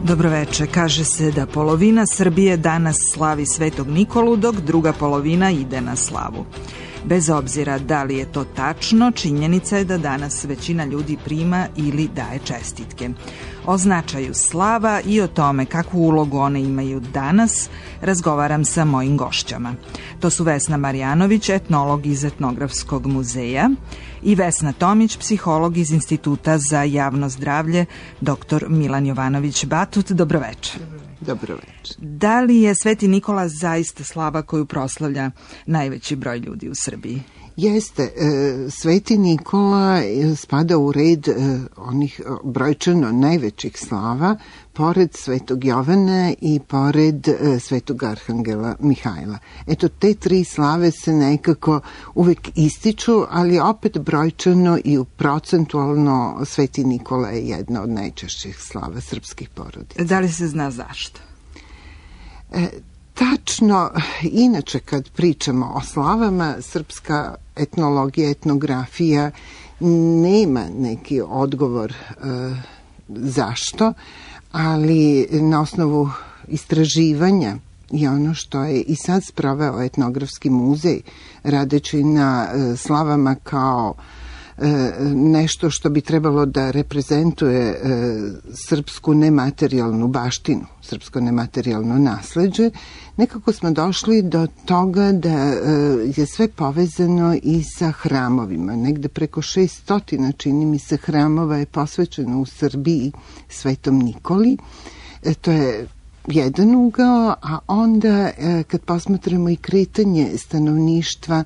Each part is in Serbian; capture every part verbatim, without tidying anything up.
Dobroveče. Kaže se da polovina Srbije danas slavi Svetog Nikolu, dok druga polovina ide na slavu. Bez obzira da li je to tačno, činjenica je da danas većina ljudi prima ili daje čestitke. O značaju slava i o tome kakvu ulogu one imaju danas razgovaram sa mojim gošćama. To su Vesna Marjanović, etnolog iz Etnografskog muzeja, i Vesna Tomić, psiholog iz Instituta za javno zdravlje, doktor Milan Jovanović Batut. Dobroveče. Dobroveče. Da li je Sveti Nikola zaista slava koju proslavlja najveći broj ljudi u Srbiji? Jeste. Sveti Nikola spada u red onih brojčano najvećih slava, pored Svetog Jovana i pored Svetog Arhangela Mihajla. Eto, te tri slave se nekako uvek ističu, ali opet brojčano i procentualno Sveti Nikola je jedna od najčešćih slava srpskih porodica. Da li se zna zašto? E, Tačno, inače kad pričamo o slavama, srpska etnologija, etnografija nema neki odgovor e, zašto, ali na osnovu istraživanja i ono što je i sad sproveo Etnografski muzej, radeći na e, slavama kao nešto što bi trebalo da reprezentuje e, srpsku nematerijalnu baštinu, srpsko nematerijalno nasleđe, nekako smo došli do toga da e, je sve povezano i sa hramovima. Negde preko šeststotina, čini mi se, hramova je posvećeno u Srbiji Svetom Nikoli. E, to je jedan ugao, a onda kad posmatramo i kretanje stanovništva,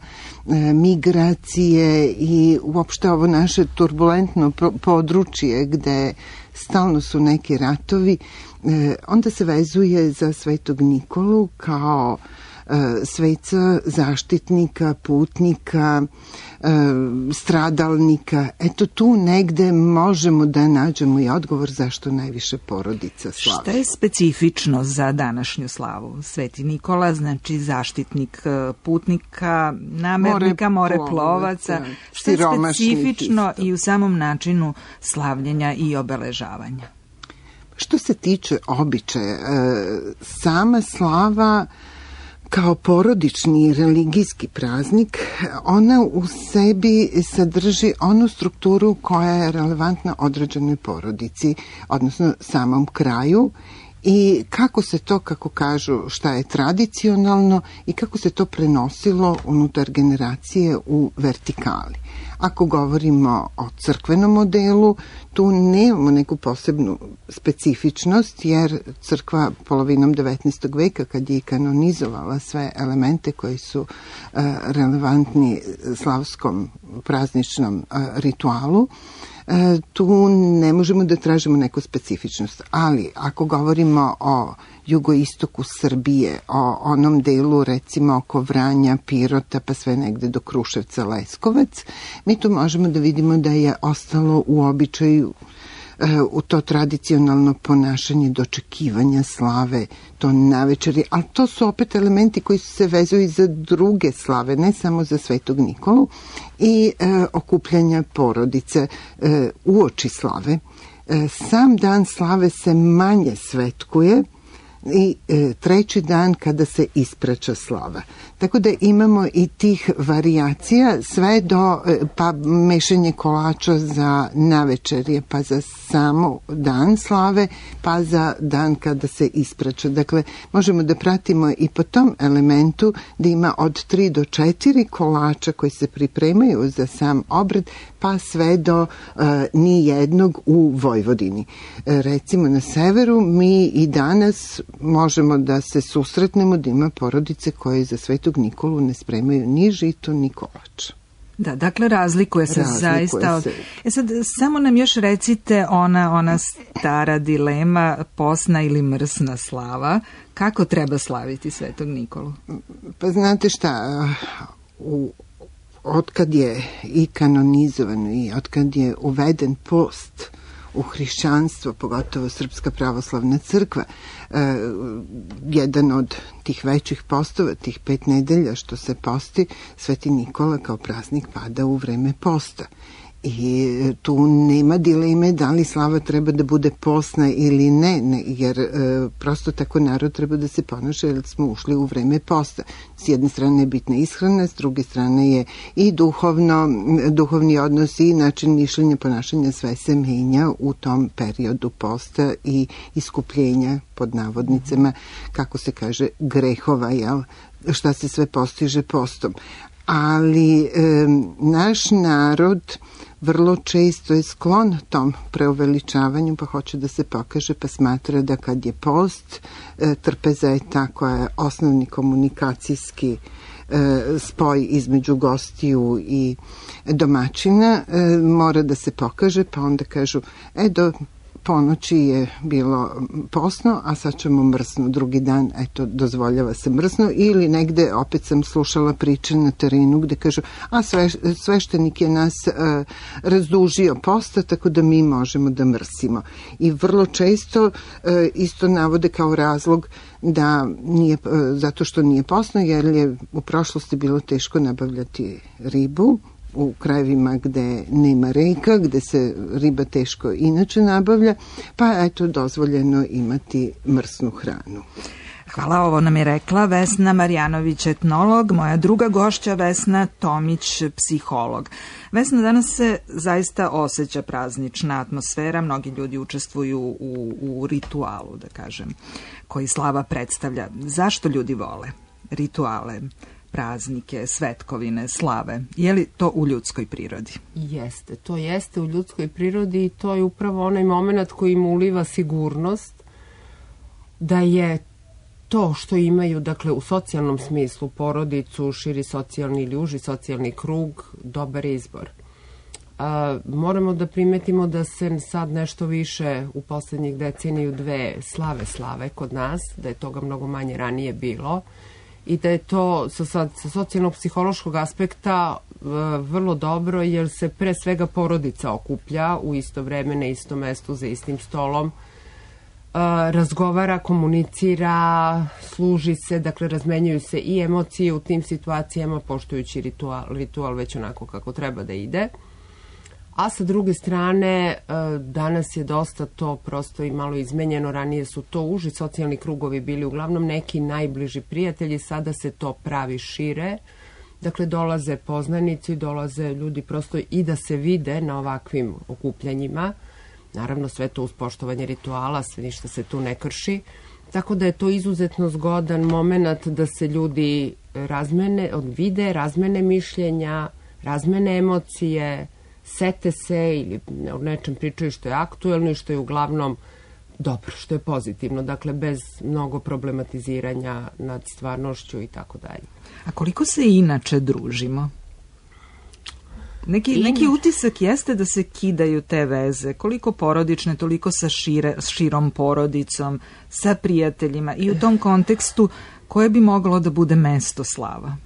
migracije i uopšte ovo naše turbulentno područje gde stalno su neki ratovi, onda se vezuje za Svetog Nikolu kao sveca, zaštitnika, putnika, stradalnika. Eto, tu negde možemo da nađemo i odgovor zašto najviše porodica slavi. Šta je specifično za današnju slavu? Sveti Nikola, znači zaštitnik putnika, namernika, moreplovaca. Šta je specifično i u samom načinu slavljenja i obeležavanja? Što se tiče običaja, sama slava kao porodični i religijski praznik, ona u sebi sadrži onu strukturu koja je relevantna određenoj porodici, odnosno samom kraju, i kako se to, kako kažu, šta je tradicionalno i kako se to prenosilo unutar generacije u vertikali. Ako govorimo o crkvenom modelu, tu nemamo neku posebnu specifičnost, jer crkva polovinom devetnaestog veka, kad je i kanonizovala sve elemente koji su uh, relevantni slavskom prazničnom uh, ritualu, uh, tu ne možemo da tražimo neku specifičnost. Ali ako govorimo o jugoistoku Srbije, o onom delu recimo oko Vranja, Pirota, pa sve negde do Kruševca, Leskovac, mi tu možemo da vidimo da je ostalo u običaju u to tradicionalno ponašanje dočekivanja slave, to navečeri, ali to su opet elementi koji se vezuju za druge slave, ne samo za Svetog Nikolu, i e, okupljanja porodice e, uoči slave. E, sam dan slave se manje svetkuje i e, treći dan kada se ispraća slava. Tako da imamo i tih varijacija, sve do e, pa mešanje kolača za navečerje, pa za samo dan slave, pa za dan kada se ispraća. Dakle, možemo da pratimo i po tom elementu da ima od tri do četiri kolača koji se pripremaju za sam obred, pa sve do e, ni jednog u Vojvodini. E, recimo na severu mi i danas možemo da se susretnemo da ima porodice koje za Svetog Nikolu ne spremaju ni žito, ni kolač. Da, dakle razlikuje se razlikuje zaista. Se. E sad, samo nam još recite ona, ona stara dilema, posna ili mrsna slava. Kako treba slaviti Svetog Nikolu? Pa znate šta, u otkad je i kanonizovano i otkad je uveden post u hrišćanstvo, pogotovo Srpska pravoslavna crkva, e, jedan od tih većih postova, tih pet nedelja što se posti, Sveti Nikola kao praznik pada u vreme posta. I tu nema dileme da li slava treba da bude postna ili ne, ne jer e, prosto tako narod treba da se ponaša jer smo ušli u vreme posta. S jedne strane je bitna ishrana, s druge strane je i duhovno, duhovni odnos i način mišljenja, ponašanja, sve se menja u tom periodu posta i iskupljenja pod navodnicama, kako se kaže, grehova, jel? Šta se sve postiže postom. Ali e, naš narod vrlo često je sklon tom preuveličavanju, pa hoće da se pokaže, pa smatra da kad je post, e, trpeza je ta koja je osnovni komunikacijski e, spoj između gostiju i domaćina, e, mora da se pokaže, pa onda kažu, e, do ponoći je bilo postno, a sad ćemo mrsno drugi dan, eto, dozvoljava se mrsno, ili negde, opet sam slušala priče na terenu gde kažu, a sve, sveštenik je nas uh, razdužio posta, tako da mi možemo da mrsimo. I vrlo često uh, isto navode kao razlog da nije, uh, zato što nije postno, jer je u prošlosti bilo teško nabavljati ribu, u krajevima gde nema reka, gde se riba teško inače nabavlja, pa eto dozvoljeno imati mrsnu hranu. Hvala, ovo nam je rekla Vesna Marjanović, etnolog, moja druga gošća Vesna Tomić, psiholog. Vesna, danas se zaista osjeća praznična atmosfera, mnogi ljudi učestvuju u, u ritualu, da kažem, koji slava predstavlja. Zašto ljudi vole rituale, praznike, svetkovine, slave? Je li to u ljudskoj prirodi? Jeste, to jeste u ljudskoj prirodi i to je upravo onaj moment koji im uliva sigurnost da je to što imaju, dakle, u socijalnom smislu, porodicu, širi socijalni ili uži socijalni krug, dobar izbor. A, moramo da primetimo da se sad nešto više u poslednjih deceniju dve slave slave kod nas, da je toga mnogo manje ranije bilo, i da je to sa, sa, sa socijalno-psihološkog aspekta e, vrlo dobro, jer se pre svega porodica okuplja u isto vreme, na istom mestu, za istim stolom, e, razgovara, komunicira, služi se, dakle razmenjuju se i emocije u tim situacijama, poštujući ritual, ritual već onako kako treba da ide. A sa druge strane, danas je dosta to prosto i malo izmenjeno. Ranije su to uži socijalni krugovi bili uglavnom neki najbliži prijatelji, sada se to pravi šire. Dakle, dolaze poznanici, dolaze ljudi prosto i da se vide na ovakvim okupljanjima. Naravno, sve to uz poštovanje rituala, sve ništa se tu ne krši. Tako da je to izuzetno zgodan moment da se ljudi razmene, vide, razmene mišljenja, razmene emocije, sete se ili o nečem pričaju što je aktuelno i što je uglavnom dobro, što je pozitivno, dakle bez mnogo problematiziranja nad stvarnošću i tako dalje. A koliko se inače družimo? Neki, neki utisak jeste da se kidaju te veze, koliko porodične, toliko sa šire, širom porodicom, sa prijateljima, i u tom kontekstu koje bi moglo da bude mesto slava?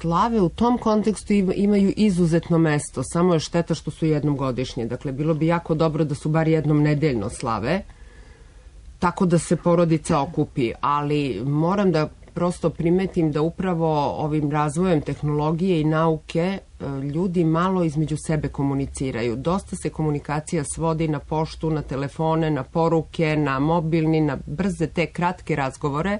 Slave u tom kontekstu imaju izuzetno mesto, samo je šteta što su jednom godišnje. Dakle, bilo bi jako dobro da su bar jednom nedeljno slave, tako da se porodica okupi, ali moram da prosto primetim da upravo ovim razvojem tehnologije i nauke ljudi malo između sebe komuniciraju. Dosta se komunikacija svodi na poštu, na telefone, na poruke, na mobilni, na brze te kratke razgovore.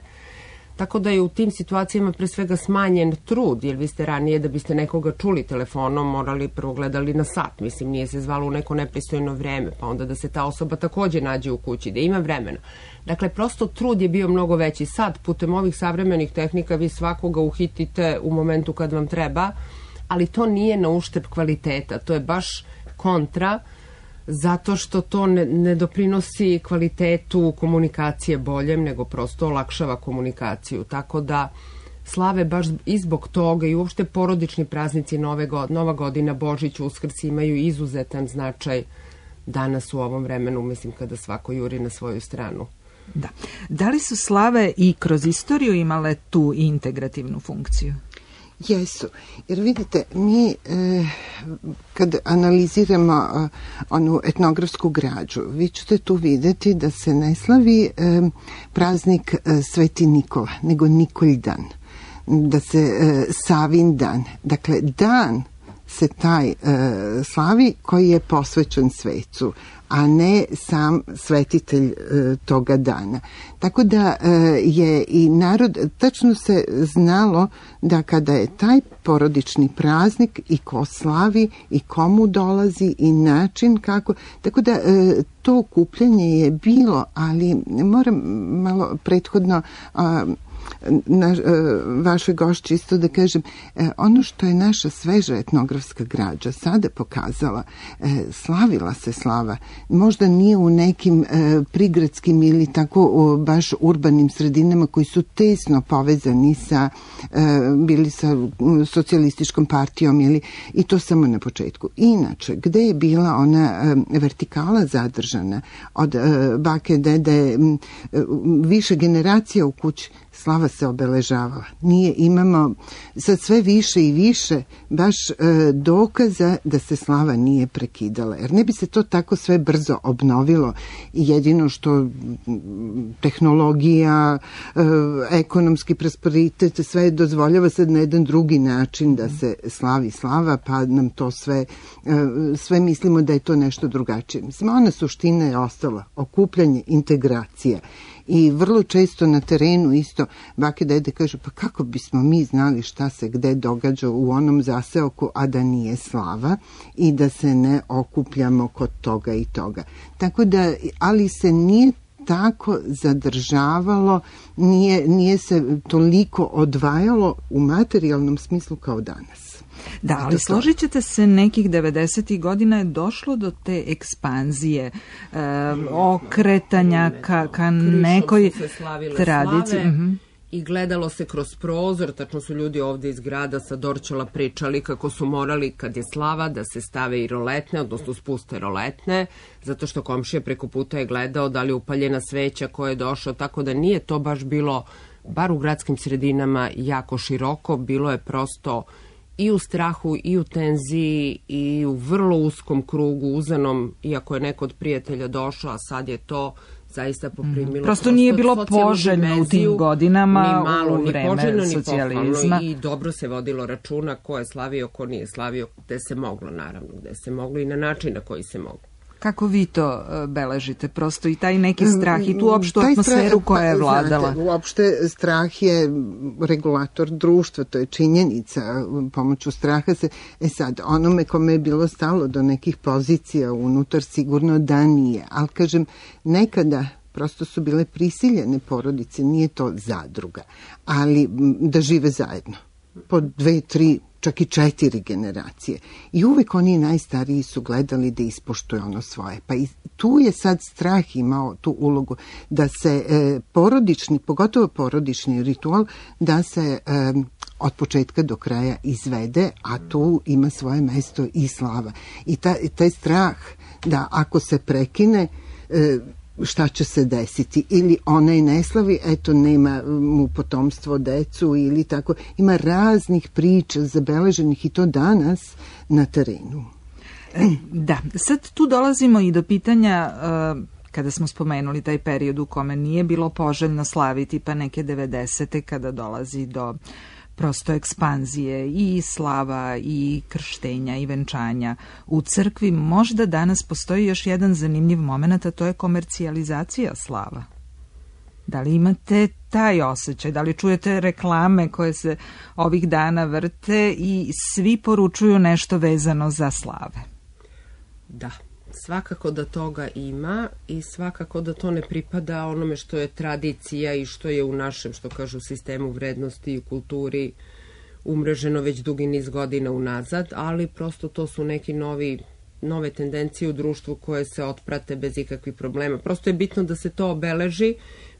Tako da je u tim situacijama pre svega smanjen trud, jer vi ste ranije da biste nekoga čuli telefonom morali prvo gledali na sat, mislim nije se zvalo u neko nepristojno vreme, pa onda da se ta osoba takođe nađe u kući, da ima vremena. Dakle, prosto trud je bio mnogo veći. Sad, putem ovih savremenih tehnika, vi svakoga uhitite u momentu kad vam treba, ali to nije na uštrb kvaliteta, to je baš kontra, zato što to ne, ne doprinosi kvalitetu komunikacije boljem, nego prosto olakšava komunikaciju. Tako da slave baš i zbog toga i uopšte porodični praznici, Nove god, Nova godina, Božić, Uskrs imaju izuzetan značaj danas u ovom vremenu, mislim, kada svako juri na svoju stranu. Da. Da li su slave i kroz istoriju imale tu integrativnu funkciju? Jesu, jer vidite, mi e, kad analiziramo e, onu etnografsku građu, vi ćete tu videti da se ne slavi e, praznik e, Sveti Nikola, nego Nikolj dan, da se e, Savin dan. Dakle, dan se taj e, slavi koji je posvećen svecu, a ne sam svetitelj e, toga dana. Tako da e, je i narod, tačno se znalo da kada je taj porodični praznik i ko slavi i komu dolazi i način kako, tako da e, to okupljanje je bilo, ali moram malo prethodno a, na vašoj gošći isto da kažem, ono što je naša sveža etnografska građa sada pokazala, slavila se slava, možda nije u nekim prigradskim ili tako baš urbanim sredinama koji su tesno povezani sa, bili sa socijalističkom partijom ili, i to samo na početku. Inače, gde je bila ona vertikala zadržana od bake, dede, više generacija u kući, slava se obeležavala. Nije, imamo sad sve više i više baš e, dokaza da se slava nije prekidala. Jer ne bi se to tako sve brzo obnovilo. Jedino što tehnologija, e, ekonomski prosperitet, sve dozvoljava sad na jedan drugi način da se slavi slava, pa nam to sve, e, sve mislimo da je to nešto drugačije. Mislim, ona suština je ostala. Okupljanje, integracija. I vrlo često na terenu isto bake dede kažu, pa kako bismo mi znali šta se gde događa u onom zaseoku, a da nije slava i da se ne okupljamo kod toga i toga. Tako da, ali se nije tako zadržavalo, nije, nije se toliko odvajalo u materijalnom smislu kao danas. Da, ali složit ćete se, nekih devedesetih godina je došlo do te ekspanzije, e, okretanja ka, ka nekoj tradiciji. Uh-huh. I gledalo se kroz prozor, tačno su ljudi ovde iz grada sa Dorćola pričali kako su morali, kad je slava, da se stave i roletne, odnosno spuste roletne, zato što komšija preko puta je gledao da li je upaljena sveća ko je došao, tako da nije to baš bilo, bar u gradskim sredinama, jako široko, bilo je prosto i u strahu, i u tenziji, i u vrlo uskom krugu, uzanom, iako je neko od prijatelja došao, a sad je to zaista poprimilo. Mm. Prosto nije bilo poželjno u tim godinama, ni malo, u vreme ni poželjno, socijalizma. Ni I dobro se vodilo računa ko je slavio, ko nije slavio, gde se moglo, naravno, gde se moglo i na način na koji se moglo. Kako vi to beležite? Prosto i taj neki strah i tu opštu atmosferu koja je vladala. Znate, uopšte strah je regulator društva, to je činjenica. Pomoću straha se... E sad, onome kome je bilo stalo do nekih pozicija unutar, sigurno da nije. Ali kažem, nekada prosto su bile prisiljene porodice, nije to zadruga, ali da žive zajedno. Po dve, tri, čak i četiri generacije. I uvek oni najstariji su gledali da ispoštuju ono svoje. Pa i tu je sad strah imao tu ulogu da se e, porodični, pogotovo porodični ritual, da se e, od početka do kraja izvede, a tu ima svoje mesto i slava. I ta, taj strah da ako se prekine, e, šta će se desiti, ili onaj ne slavi, eto nema mu potomstvo, decu ili tako, ima raznih priča zabeleženih i to danas na terenu. Da, sad tu dolazimo i do pitanja, kada smo spomenuli taj period u kome nije bilo poželjno slaviti, pa neke devedesete kada dolazi do prosto ekspanzije i slava i krštenja i venčanja u crkvi. Možda danas postoji još jedan zanimljiv moment, a to je komercijalizacija slava. Da li imate taj osjećaj? Da li čujete reklame koje se ovih dana vrte i svi poručuju nešto vezano za slave? Da, svakako da toga ima i svakako da to ne pripada onome što je tradicija i što je u našem, što kažu, sistemu vrednosti i kulturi umreženo već dugi niz godina unazad, ali prosto to su neki novi, nove tendencije u društvu koje se otprate bez ikakvih problema. Prosto je bitno da se to obeleži,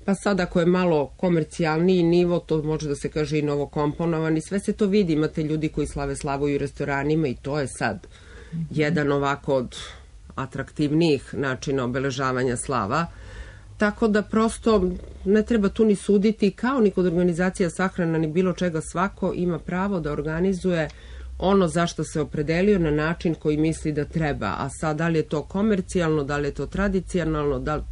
pa sad ako je malo komercijalniji nivo, to može da se kaže i novokomponovan i sve se to vidi. Imate ljudi koji slave slavu u restoranima i to je sad jedan ovako od atraktivnijih načina obeležavanja slava, tako da prosto ne treba tu ni suditi, kao ni kod organizacija sahrana ni bilo čega, svako ima pravo da organizuje ono za što se opredelio na način koji misli da treba, a sad da li je to komercijalno, da li je to tradicionalno, da li...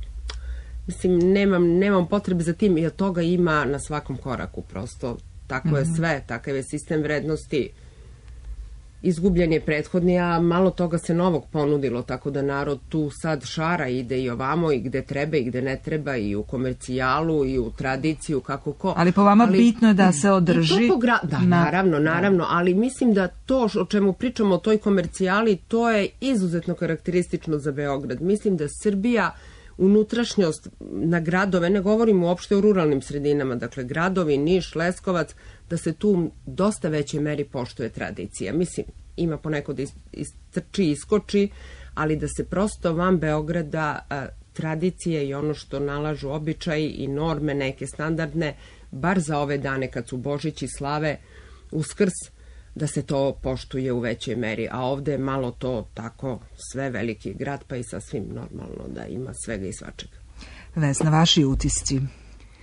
Mislim, nemam, nemam potrebe za tim, jer toga ima na svakom koraku, prosto tako je sve, takav je sistem vrednosti. izgubljen je prethodni, a malo toga se novog ponudilo, tako da narod tu sad šara, ide i ovamo i gde treba i gde ne treba, i u komercijalu i u tradiciju, kako ko. Ali po vama ali, bitno je da se održi... Gra... Da, na... naravno, naravno, ali mislim da to o čemu pričamo o toj komercijali, to je izuzetno karakteristično za Beograd. Mislim da Srbija unutrašnjost na gradove, ne govorim uopšte o ruralnim sredinama, dakle gradovi, Niš, Leskovac, da se tu dosta većoj meri poštuje tradicija. Mislim, ima ponekod istrči, iskoči, ali da se prosto van Beograda a, tradicije i ono što nalažu običaji i norme neke standardne, bar za ove dane kad su Božić i slave, Uskrs, da se to poštuje u većoj meri, a ovde je malo to tako sve veliki grad, pa i sasvim normalno da ima svega i svačega. Vesna, vaši utisci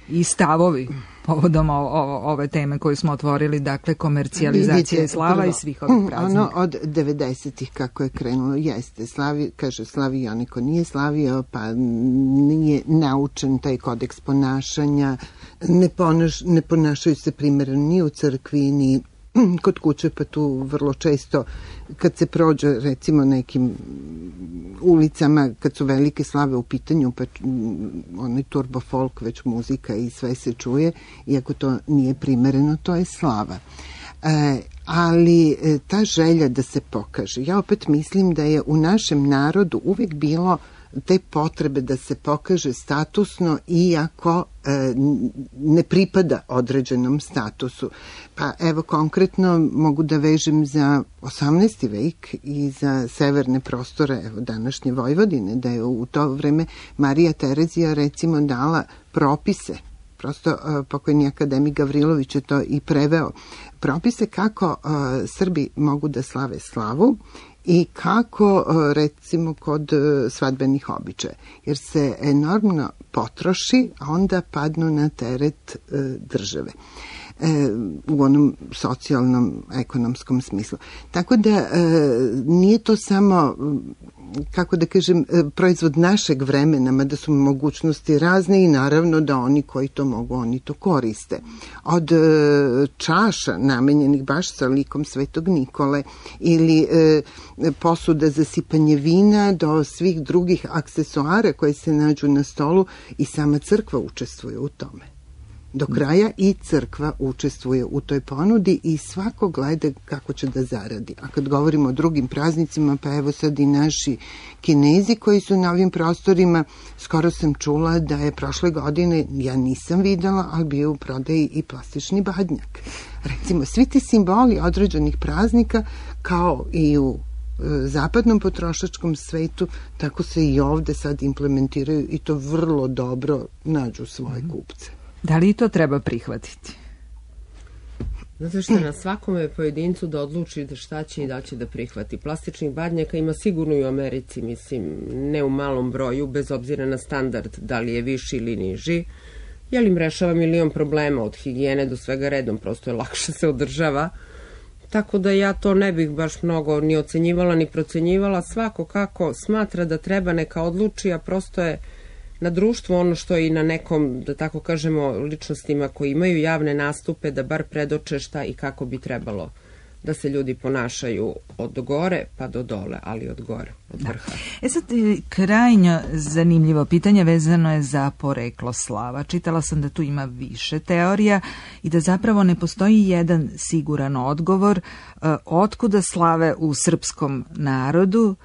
i stavovi povodom o, o, ove teme koju smo otvorili, dakle komercijalizacija i slava prvo, i svih ovih praznika. Ono od devedesetih kako je krenulo, jeste, slavi, kaže slavi onaj ko nije slavio, pa nije naučen taj kodeks ponašanja, ne, ponaš, ne ponašaju se primjerno ni u crkvi, ni kod kuće, pa tu vrlo često kad se prođe recimo nekim ulicama, kad su velike slave u pitanju, pa onaj turbo folk, već muzika i sve se čuje, iako to nije primereno, to je slava. E, ali ta želja da se pokaže, ja opet mislim da je u našem narodu uvijek bilo te potrebe da se pokaže statusno, iako e, ne pripada određenom statusu. Pa evo konkretno mogu da vežem za osamnaesti vek i za severne prostore, evo današnje Vojvodine, da je u to vreme Marija Terezija recimo dala propise, prosto uh, pokojni akademik Gavrilović je to i preveo, propise kako uh, Srbi mogu da slave slavu i kako, recimo, kod svadbenih običaja. Jer se enormno potroši, a onda padnu na teret e, države. E, u onom socijalnom, ekonomskom smislu. Tako da e, nije to samo, kako da kažem, proizvod našeg vremena, mada su mogućnosti razne i naravno da oni koji to mogu, oni to koriste. Od e, čaša namenjenih baš sa likom Svetog Nikole ili e, posuda za sipanje vina do svih drugih aksesuara koji se nađu na stolu, i sama crkva učestvuje u tome. Do kraja i crkva učestvuje u toj ponudi i svako gleda kako će da zaradi. A kad govorimo o drugim praznicima, pa evo sad i naši Kinezi koji su na ovim prostorima, skoro sam čula da je prošle godine, ja nisam videla, ali bio u prodaji i plastični badnjak. Recimo, svi ti simboli određenih praznika, kao i u zapadnom potrošačkom svetu, tako se i ovde sad implementiraju i to vrlo dobro nađu svoje kupce. Da li to treba prihvatiti? Zato što na svakome pojedincu da odluči da šta će i da će da prihvati. Plastičnih badnjaka ima sigurno i u Americi, mislim, ne u malom broju, bez obzira na standard, da li je viši ili niži. Jel im rešava milion problema, od higijene do svega redom, prosto je lakše se održava. Tako da ja to ne bih baš mnogo ni ocenjivala ni procenjivala. Svako kako smatra da treba, neka odluči, a prosto je na društvu ono što i na nekom, da tako kažemo, ličnostima koji imaju javne nastupe, da bar predoče šta i kako bi trebalo da se ljudi ponašaju od gore pa do dole, ali od gore, od vrha. Da. E sad, krajnje zanimljivo pitanje vezano je za poreklo slava. Čitala sam da tu ima više teorija i da zapravo ne postoji jedan siguran odgovor uh, otkuda slave u srpskom narodu,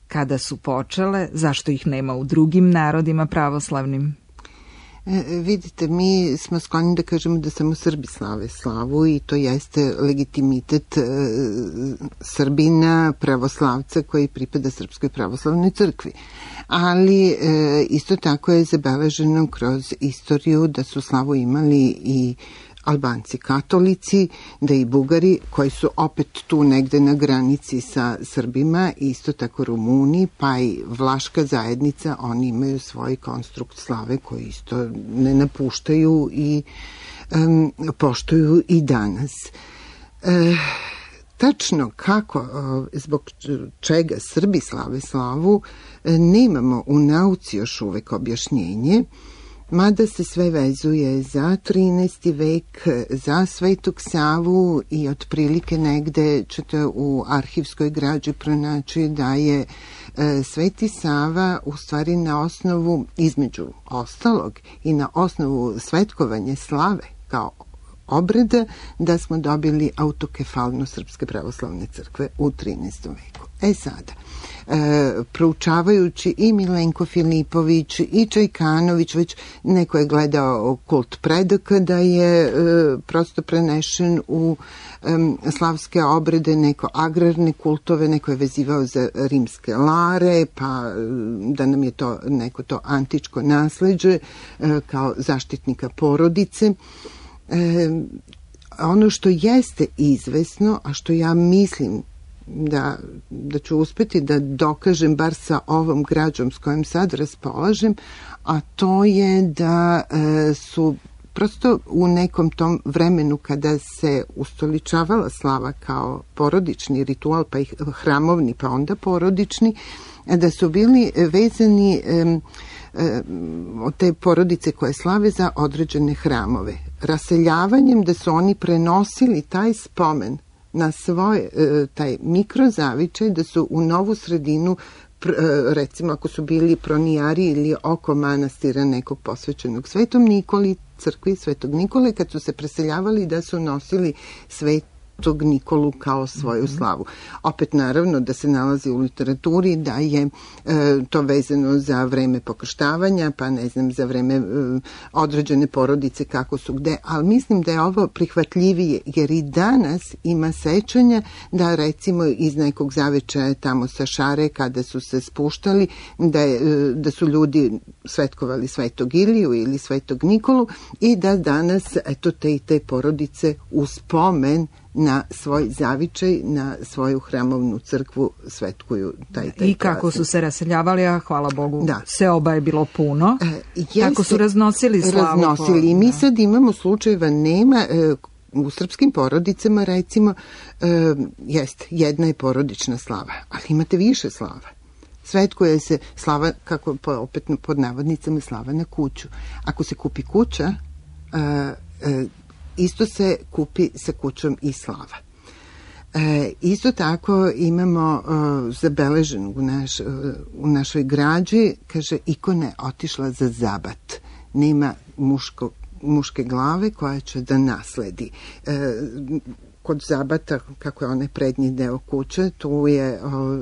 kada su počele, zašto ih nema u drugim narodima pravoslavnim? E, vidite, mi smo skloni da kažemo da samo Srbi slave slavu i to jeste legitimitet e, Srbina, pravoslavca koji pripada Srpskoj pravoslavnoj crkvi. Ali e, isto tako je zabeleženo kroz istoriju da su slavu imali i Albanci katolici, da i Bugari koji su opet tu negde na granici sa Srbima, isto tako Rumuni, pa i Vlaška zajednica, oni imaju svoj konstrukt slave koji isto ne napuštaju i um, poštuju i danas. E, tačno kako, zbog čega Srbi slave slavu, nemamo u nauci još uvek objašnjenje. mada se sve vezuje za trinaesti vek, za Svetog Savu i otprilike negde ćete u arhivskoj građi pronaći da je e, Sveti Sava u stvari na osnovu, između ostalog i na osnovu svetkovanja slave kao obreda, da smo dobili autokefalnost Srpske pravoslavne crkve u trinaestom veku. E sada, e, proučavajući i Milenko Filipović i Čajkanović, već neko je gledao kult predaka da je e, prosto prenešen u e, slavske obrede, neko agrarne kultove, neko je vezivao za rimske lare, pa da nam je to neko to antičko nasleđe e, kao zaštitnika porodice. E, ono što jeste izvesno, a što ja mislim da, da ću uspeti da dokažem bar sa ovom građom s kojom sad raspolažem, a to je da e, su prosto u nekom tom vremenu kada se ustoličavala slava kao porodični ritual, pa i hramovni, pa onda porodični, da su bili vezani e, od te porodice koje slave za određene hramove. Raseljavanjem da su oni prenosili taj spomen na svoj taj mikrozavičaj, da su u novu sredinu, recimo ako su bili pronijari ili oko manastira nekog posvećenog Svetom Nikoli, crkvi Svetog Nikole, kad su se preseljavali, da su nosili svet tog Nikolu kao svoju slavu. Opet naravno da se nalazi u literaturi da je e, to vezano za vreme pokrštavanja, pa ne znam, za vreme e, određene porodice kako su gde, ali mislim da je ovo prihvatljivije, jer i danas ima sećanja da recimo iz nekog zavečaja tamo sa Šare kada su se spuštali, da, je, da su ljudi svetkovali Svetog Iliju ili Svetog Nikolu i da danas eto te i te porodice u spomen na svoj zavičaj, na svoju hramovnu crkvu svetkuju taj, taj I kako praznik. Su se raseljavali, a hvala Bogu, da. se oba je bilo puno. E, jeste, kako su raznosili slavu. Raznosili. I mi sad imamo slučajeva, nema, e, u srpskim porodicama recimo, e, jest, jedna je porodična slava, ali imate više slava. Svetkuje se slava, kako opet pod navodnicama, slava na kuću. Ako se kupi kuća, e, e, isto se kupi sa kućom i slava. E, isto tako imamo uh, zabeleženo u, naš, uh, u našoj građi, kaže, ikona je otišla za zabat. Nema muško, muške glave koja će da nasledi. E, kod zabata, kako je onaj prednji deo kuće, tu je o,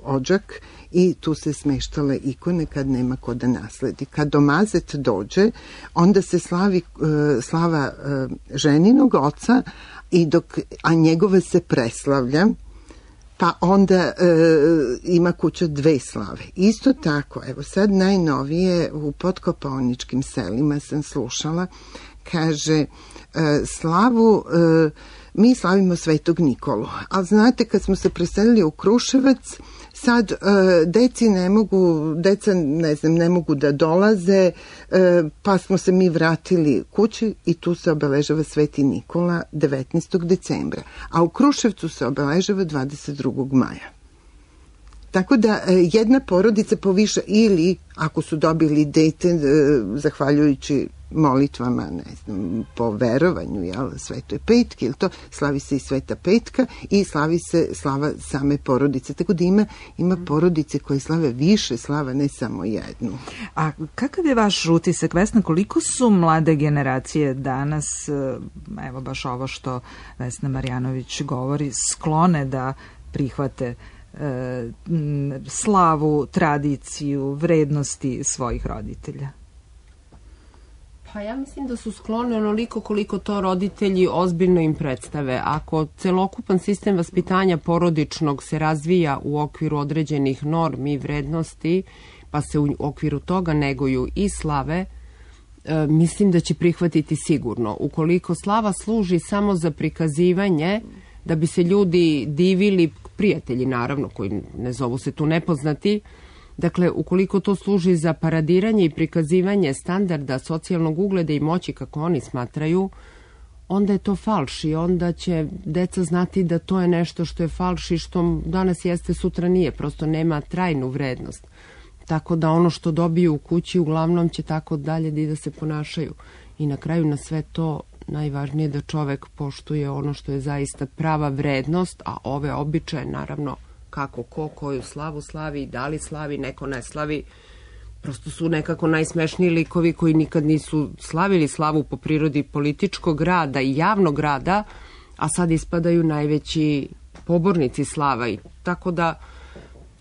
odžak i tu se smeštale ikone kad nema ko da nasledi. Kad domazet dođe, onda se slavi e, slava e, ženinog oca, i dok, a njegova se preslavlja, pa onda e, ima kuća dve slave. Isto tako, evo sad najnovije u podkopaoničkim selima sam slušala, kaže, e, slavu e, mi slavimo Svetog Nikolu, ali znate kad smo se preselili u Kruševac, sad e, deci ne mogu, deca ne znam, ne mogu da dolaze, e, pa smo se mi vratili kući i tu se obeležava Sveti Nikola devetnaestog decembra, a u Kruševcu se obeležava dvadeset drugog maja. Tako da jedna porodica poviša, ili ako su dobili dete zahvaljujući molitvama, ne znam, po verovanju, jel, Svetoj Petki, ili to, slavi se i Sveta Petka i slavi se slava same porodice. Tako da ima, ima porodice koje slave više slava, ne samo jednu. A kakav je vaš utisak, Vesna, koliko su mlade generacije danas, evo baš ovo što Vesna Marjanović govori, sklone da prihvate e, slavu, tradiciju, vrednosti svojih roditelja? Pa ja mislim da su sklone onoliko koliko to roditelji ozbiljno im predstave. Ako celokupan sistem vaspitanja porodičnog se razvija u okviru određenih normi i vrednosti, pa se u okviru toga neguju i slave, e, mislim da će prihvatiti sigurno. Ukoliko slava služi samo za prikazivanje, da bi se ljudi divili, prijatelji naravno, koji ne zovu se tu nepoznati, dakle, ukoliko to služi za paradiranje i prikazivanje standarda socijalnog ugleda i moći, kako oni smatraju, onda je to falš i onda će deca znati da to je nešto što je falš i što danas jeste, sutra nije, prosto nema trajnu vrednost. Tako da ono što dobiju u kući uglavnom će tako dalje da i da se ponašaju. I na kraju na sve to najvažnije je da čovek poštuje ono što je zaista prava vrednost, a ove običaje naravno kako ko koju slavu slavi, da li slavi, neko ne slavi. Prosto su nekako najsmešniji likovi koji nikad nisu slavili slavu po prirodi političkog rada i javnog rada, a sad ispadaju najveći pobornici slava. I tako da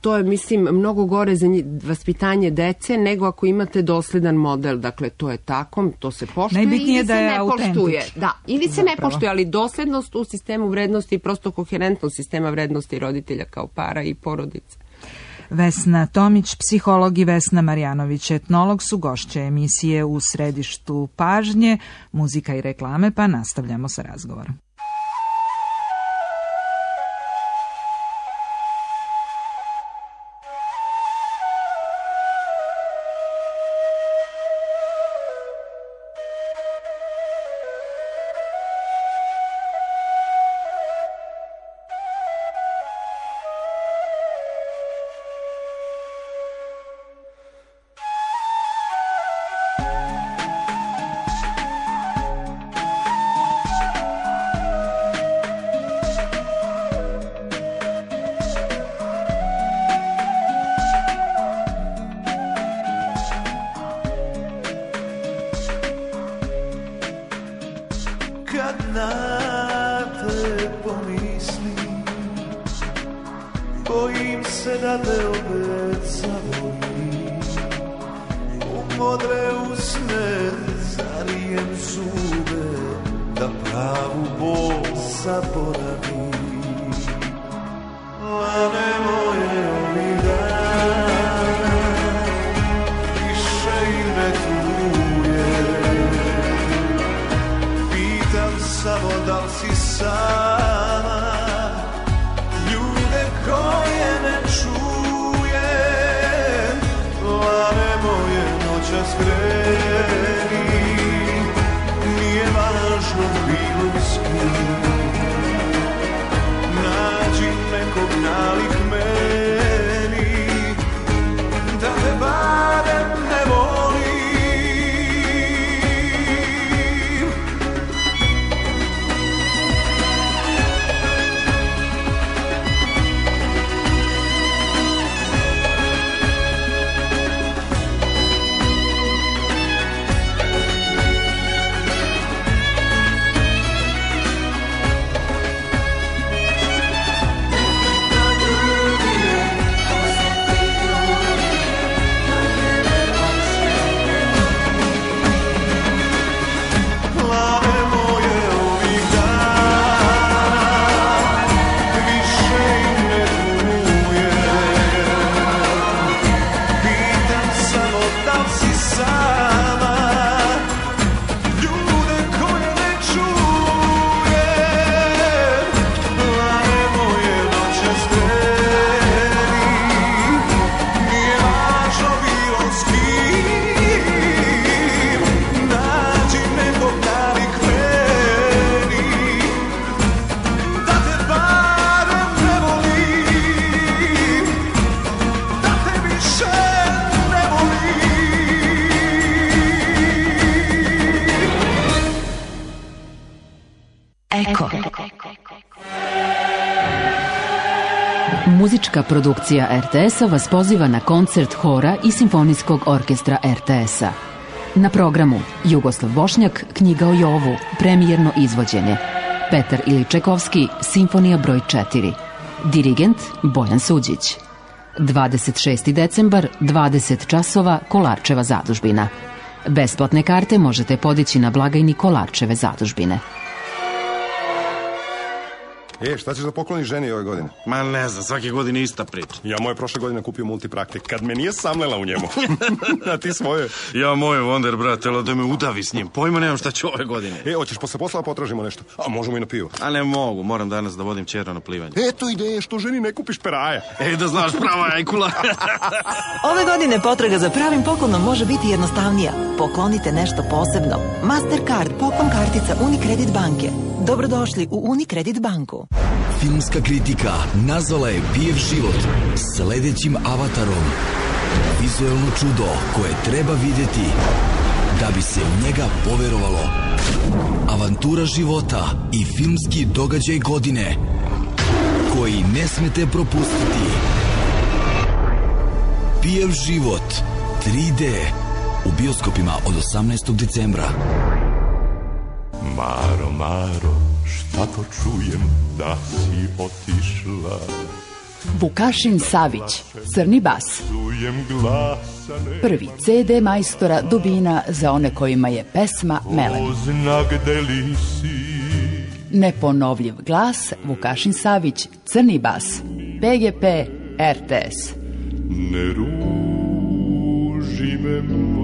to je, mislim, mnogo gore za vaspitanje dece nego ako imate dosledan model. Dakle, to je tako, to se poštuje ili se ne poštuje. Da, ili se ne poštuje, ali doslednost u sistemu vrednosti i prosto koherentnost sistema vrednosti roditelja kao para i porodice. Vesna Tomić, psiholog, i Vesna Marjanović, etnolog, su gošće emisije U središtu pažnje, muzika i reklame, pa nastavljamo sa razgovorom. Muzička produkcija er te esa vas poziva na koncert hora i simfonijskog orkestra er te esa. Na programu Jugoslav Bošnjak, Knjiga o Jovu, premijerno izvođenje. Petar Iličekovski, Simfonija broj četiri. Dirigent Bojan Suđić. dvadeset šesti decembar, dvadeset časova, Kolarčeva zadužbina. Besplatne karte možete podići na blagajni Kolarčeve zadužbine. E, šta ćeš da pokloniš ženi ove godine? Ma ne znam, svake godine ista priča. Ja moje prošle godine kupio multipraktik, kad me nije samlela u njemu. A ti svoje? Ja moje Wonder, brate, da me udavi s njim. Pojma nemam šta ću ove godine. E, hoćeš posle posla potražimo nešto? A možemo i na pivo. A ne mogu, moram danas da vodim ćera na plivanje. Eto ideje, što ženi ne kupiš peraja. E, da znaš, prava jajkula. Ove godine potraga za pravim poklonom može biti jednostavnija. Poklonite nešto posebno. Mastercard, poklon kartica Unicredit banke. Dobrodošli u Unicredit banku. Filmska kritika nazvala je Pijev život sledećim avatarom. Vizuelno čudo koje treba vidjeti da bi se u njega poverovalo. Avantura života i filmski događaj godine koji ne smete propustiti. Pijev život tri D u bioskopima od osamnaestog decembra. Maro, Maro, šta to čujem da si otišla? Vukašin Savić, Crni bas. Prvi C D majstora Dubina za one kojima je pesma melem. Neponovljiv glas Vukašin Savić, Crni bas. P G P R T S. Ne ruži me, majko.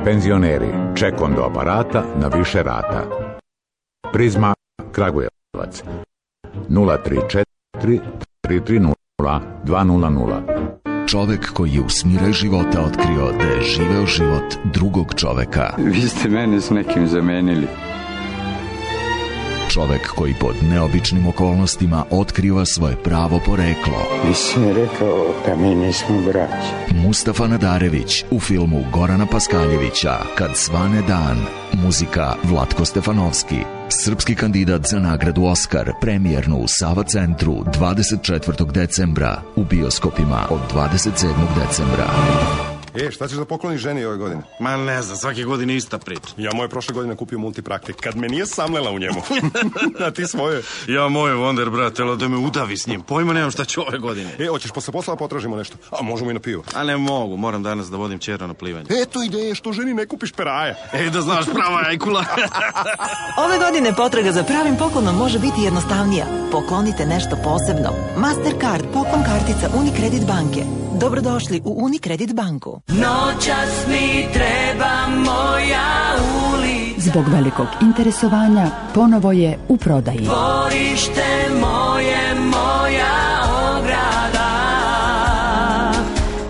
Penzioneri, ček do aparata na više rata. Prizma Kragujevac nula tri četiri tri tri nula dva nula nula. Čovek koji je u smiraj života otkrio da je živeo život drugog čoveka. Vi ste mene s nekim zamenili. Čovek koji pod neobičnim okolnostima otkriva svoje pravo poreklo. Nisam rekao da mi nismo braći. Mustafa Nadarević u filmu Gorana Paskaljevića Kad svane dan. Muzika Vlatko Stefanovski. Srpski kandidat za nagradu Oskar, premijernu u Sava centru dvadeset četvrtog decembra, u bioskopima od dvadeset sedmog decembra. E, šta ćeš da pokloniš ženi ove godine? Ma ne znam, svake godine ista priča. Ja moje prošle godine kupio multipraktik, kad me nije samlela u njemu. A ti svoje? Ja moje Wonder, brate, da me udavi s njim. Pojma nemam šta ću ove godine. E, hoćeš posle posla potražimo nešto? A možemo i na pivo. A ne mogu, moram danas da vodim ćera na plivanje. Eto ideje, što ženi ne kupiš peraja. Ej, da znaš, prava jajkula. Ove godine potraga za pravim poklonom može biti jednostavnija. Poklonite nešto posebno. Mastercard, poklon kartica Unicredit banke. Dobrodošli u Unicredit banku. Noćas mi treba moja ulica. Zbog velikog interesovanja ponovo je u prodaji. Dvorište moje, moja ograda.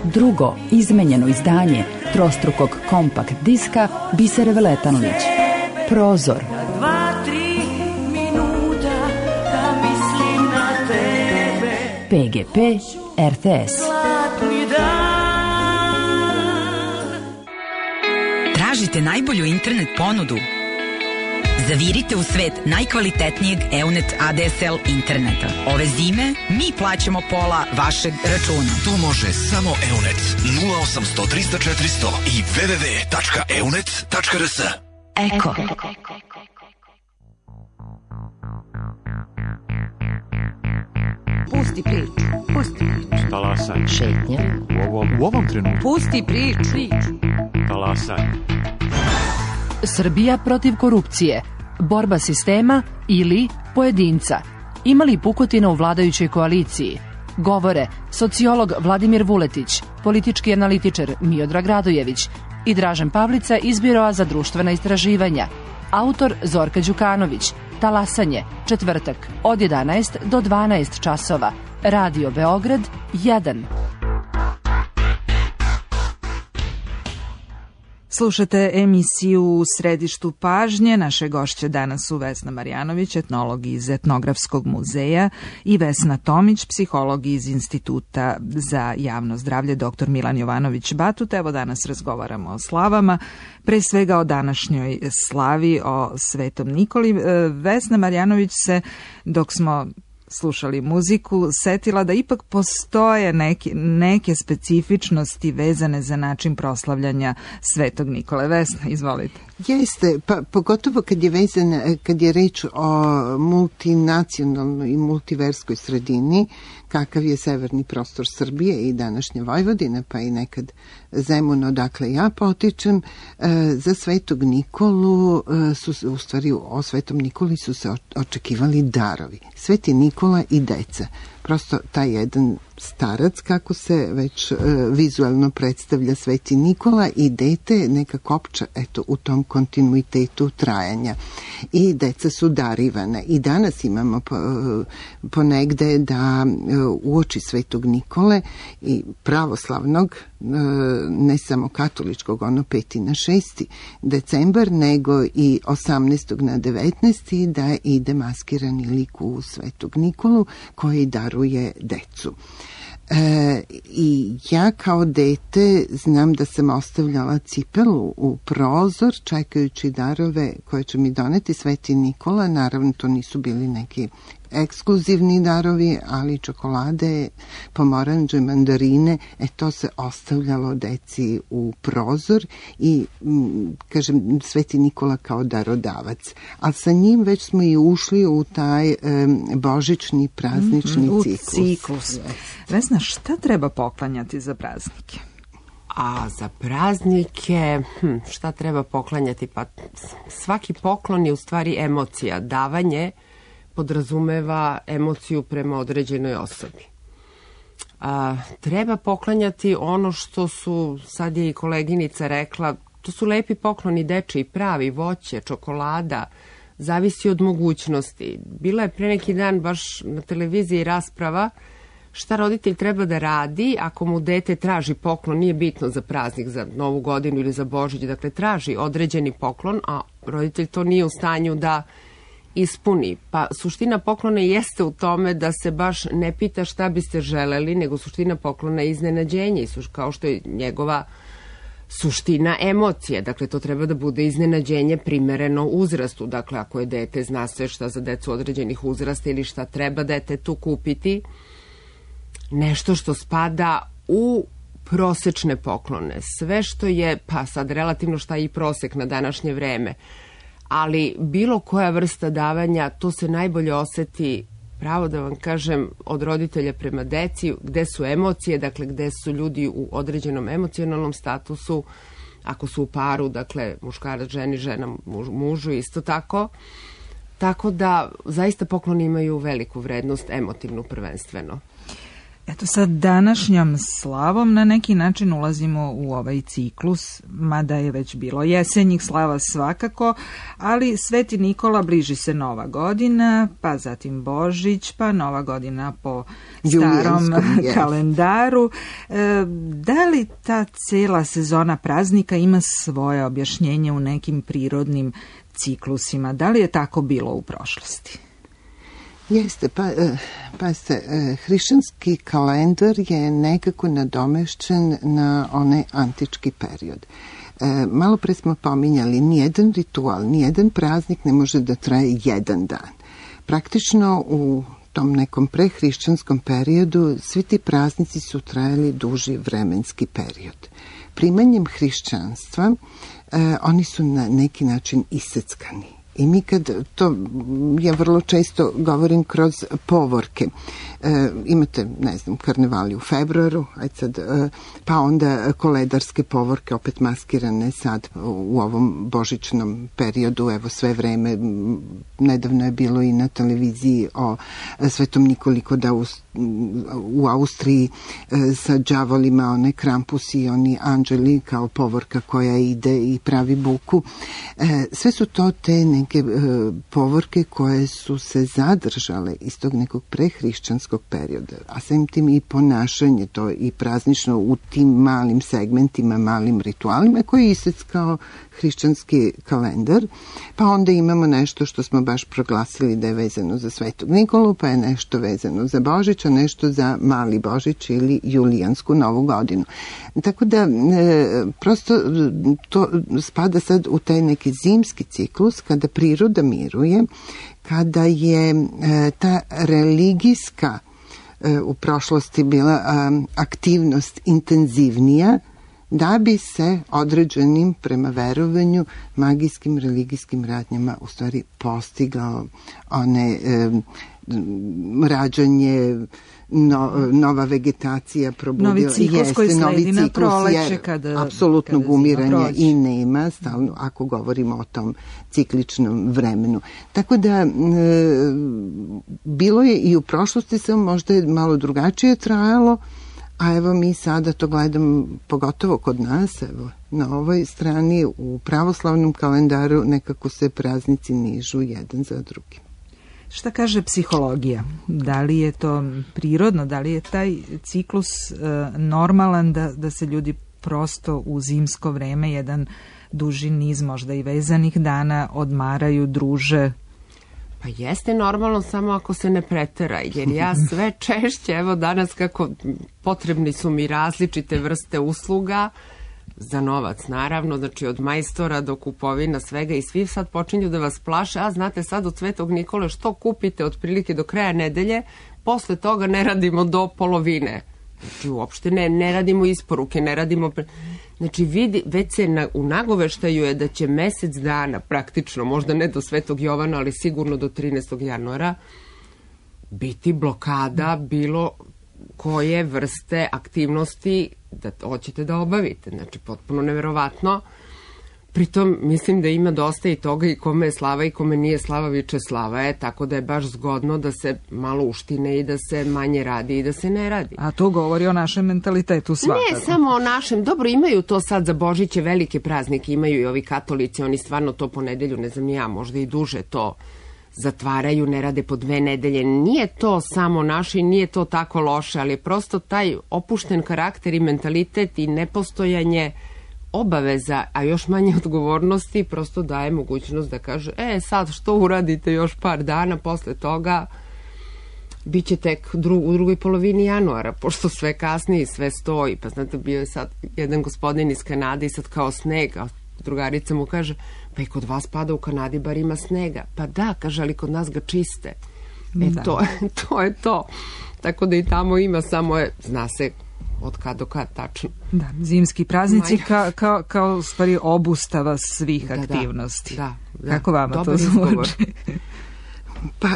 Drugo izmenjeno izdanje trostrukog kompakt diska Bisere Veletanlić. Prozor. Dva, tri minuta da mislim na tebe. P G P R T S. Tražite najbolju internet ponudu? Zavirite u svet najkvalitetnijeg Eunet A D S L interneta. Ove zime mi plaćamo pola vašeg računa. To može samo Eunet. nula osamsto trista četiristo i w w w tačka eunet tačka r s. Eko. Pusti priču, pusti priču. Talasaj. Šetnja. U ovom, u ovom trenutku. Pusti priču. Talasaj. Srbija protiv korupcije. Borba sistema ili pojedinca. Ima li pukotina u vladajućoj koaliciji? Govore sociolog Vladimir Vuletić, politički analitičar Miodrag Radojević i Dražen Pavlica iz Biroa za društvena istraživanja. Autor Zorka Đukanović. Talasanje, četvrtak, od jedanaest do dvanaest časova. Radio Beograd, jedan. Slušate emisiju U središtu pažnje. Naše gošće danas su Vesna Marjanović, etnolog iz Etnografskog muzeja, i Vesna Tomić, psiholog iz Instituta za javno zdravlje dr Milan Jovanović Batut. Evo danas razgovaramo o slavama, pre svega o današnjoj slavi, o Svetom Nikoli. Vesna Marjanović se, dok smo slušali muziku, setila da ipak postoje neke, neke specifičnosti vezane za način proslavljanja Svetog Nikole. Vesna, izvolite. Jeste, pa pogotovo kad je vezan, kad je reč o multinacionalnoj i multiverskoj sredini, kakav je severni prostor Srbije i današnja Vojvodina, pa i nekad Zemun, odakle ja potičem, za Svetog Nikolu su, u stvari o Svetom Nikoli su se očekivali darovi. Sveti Nikola i deca. Prosto taj jedan starac, kako se već e, vizualno predstavlja Sveti Nikola, i dete neka kopča eto, u tom kontinuitetu trajanja. I deca su darivana. I danas imamo po, ponegde da e, uoči Svetog Nikole i pravoslavnog, e, ne samo katoličkog, ono peti na šesti decembar, nego i osamnaestog na devetnaesti da ide maskirani lik u Svetog Nikolu koji daruje decu. E, I ja kao dete znam da sam ostavljala cipelu u prozor čekajući darove koje će mi doneti Sveti Nikola. Naravno, to nisu bili neki ekskluzivni darovi, ali čokolade, pomoranđe, mandarine, e to se ostavljalo deci u prozor i, kažem, Sveti Nikola kao darodavac. Ali sa njim već smo i ušli u taj um, božićni praznični mm-hmm, ciklus. U ciklus. Vesna, šta treba poklanjati za praznike? A za praznike, hm, šta treba poklanjati? Pa svaki poklon je u stvari emocija. Davanje podrazumeva emociju prema određenoj osobi. A, treba poklanjati ono što su, sad je i koleginica rekla, to su lepi pokloni dečiji, pravi, voće, čokolada, zavisi od mogućnosti. Bila je pre neki dan baš na televiziji rasprava šta roditelj treba da radi ako mu dete traži poklon, nije bitno za praznik, za Novu godinu ili za Božić, dakle traži određeni poklon, a roditelj to nije u stanju da ispuni. Pa suština poklona jeste u tome da se baš ne pita šta biste želeli, nego suština poklona je iznenađenje, kao što je njegova suština emocije. Dakle, to treba da bude iznenađenje primereno uzrastu. Dakle, ako je dete, zna se šta za decu određenih uzrasta ili šta treba detetu kupiti, nešto što spada u prosečne poklone. Sve što je, pa sad relativno šta je i prosek na današnje vreme, ali bilo koja vrsta davanja, to se najbolje oseti, pravo da vam kažem, od roditelja prema deci, gde su emocije, dakle gde su ljudi u određenom emocionalnom statusu, ako su u paru, dakle muškarac ženi, žena muž, mužu, isto tako. Tako da zaista pokloni imaju veliku vrednost, emotivnu prvenstveno. Eto sad današnjom slavom na neki način ulazimo u ovaj ciklus, mada je već bilo jesenjih slava svakako, ali Sveti Nikola, bliži se Nova godina, pa zatim Božić, pa Nova godina po starom kalendaru. E, da li ta cela sezona praznika ima svoje objašnjenje u nekim prirodnim ciklusima? Da li je tako bilo u prošlosti? Jeste, pa, pa se, hrišćanski kalendar je nekako nadomešćen na onaj antički period. Malo pre smo pominjali, nijedan ritual, nijedan praznik ne može da traje jedan dan. Praktično u tom nekom prehrišćanskom periodu svi ti praznici su trajali duži vremenski period. Primanjem hrišćanstva oni su na neki način iseckani. I mi kad, to ja vrlo često govorim kroz povorke, e, imate, ne znam, karnevali u februaru, ajde sad, e, pa onda koledarske povorke, opet maskirane sad u ovom božićnom periodu, evo sve vreme, nedavno je bilo i na televiziji o Svetom Nikoli kod Aust, u Austriji e, sa đavolima, one Krampusi i oni anđeli kao povorka koja ide i pravi buku. E, sve su to te neke e, povorke koje su se zadržale iz tog nekog prehrišćanskog perioda, a samim tim i ponašanje to i praznično u tim malim segmentima, malim ritualima koji je iseckao hrišćanski kalendar, pa onda imamo nešto što smo baš proglasili da je vezano za Svetog Nikolu, pa je nešto vezano za Božić, a nešto za Mali Božić ili Julijansku Novu godinu. Tako da e, prosto to spada sad u taj neki zimski ciklus kada priroda miruje, kada je e, ta religijska e, u prošlosti bila a, aktivnost intenzivnija, da bi se određenim, prema verovanju, magijskim, religijskim radnjama u stvari postigao one e, rađanje, no, nova vegetacija probudila. Novi ciklus jeste, koji sledi novi na ciklus proleće kada... apsolutnog kada umiranja i nema, stalno, ako govorimo o tom cikličnom vremenu. Tako da, e, bilo je i u prošlosti, samo možda je malo drugačije trajalo, a evo mi sada to gledamo, pogotovo kod nas, evo, na ovoj strani u pravoslavnom kalendaru nekako se praznici nižu jedan za drugim. Šta kaže psihologija? Da li je to prirodno, da li je taj ciklus e, normalan da, da se ljudi prosto u zimsko vreme, jedan duži niz možda i vezanih dana, odmaraju, druže? Pa jeste normalno, samo ako se ne pretera, jer ja sve češće, evo danas kako potrebni su mi različite vrste usluga, za novac naravno, znači od majstora do kupovina svega i svi sad počinju da vas plaše, a znate sad od Svetog Nikole što kupite otprilike do kraja nedelje, posle toga ne radimo do polovine. Znači uopšte ne, ne radimo isporuke, ne radimo... Znači vidi, već se na, u nagoveštaju je da će mesec dana praktično, možda ne do Svetog Jovana, ali sigurno do trinaestog januara, biti blokada bilo koje vrste aktivnosti da hoćete da obavite. Znači, potpuno neverovatno. Pritom, mislim da ima dosta i toga i kome je slava i kome nije slava, viče slava je, tako da je baš zgodno da se malo uštine i da se manje radi i da se ne radi. A to govori o našem mentalitetu svakako. Ne samo o našem, dobro, imaju to sad za Božiće velike praznike, imaju i ovi katolici, oni stvarno to po nedelju, ne znam ja, možda i duže to zatvaraju, ne rade po dve nedelje. Nije to samo naše i nije to tako loše, ali je prosto taj opušten karakter i mentalitet i nepostojanje obaveza, a još manje odgovornosti, prosto daje mogućnost da kaže, e sad što uradite još par dana, posle toga bit će tek dru, u drugoj polovini januara, pošto sve kasni i sve stoji. Pa znate, bio je sad jedan gospodin iz Kanade i sad kao sneg, a drugarica mu kaže, pa i kod vas pada u Kanadi, bar ima snega. Pa da, kaže, ali kod nas ga čiste. E, da. to, to je to. Tako da i tamo ima, samo je, zna se od kad do kad tačno. Da, zimski praznici ka, kao, kao stvari obustava svih da, aktivnosti. Da, da, Kako vama dobar to zvuči? Pa,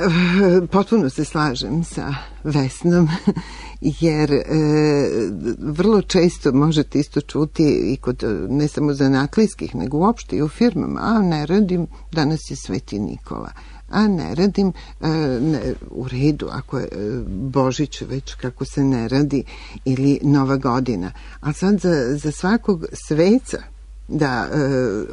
potpuno se slažem sa Vesnom, jer e, vrlo često možete isto čuti i kod ne samo zanatlijskih, nego uopšte i u firmama, a ne radim, danas je Sveti Nikola, a ne radim, e, ne, u redu, ako je Božić već kako se ne radi, ili Nova godina. A sad za, za svakog sveca, da e,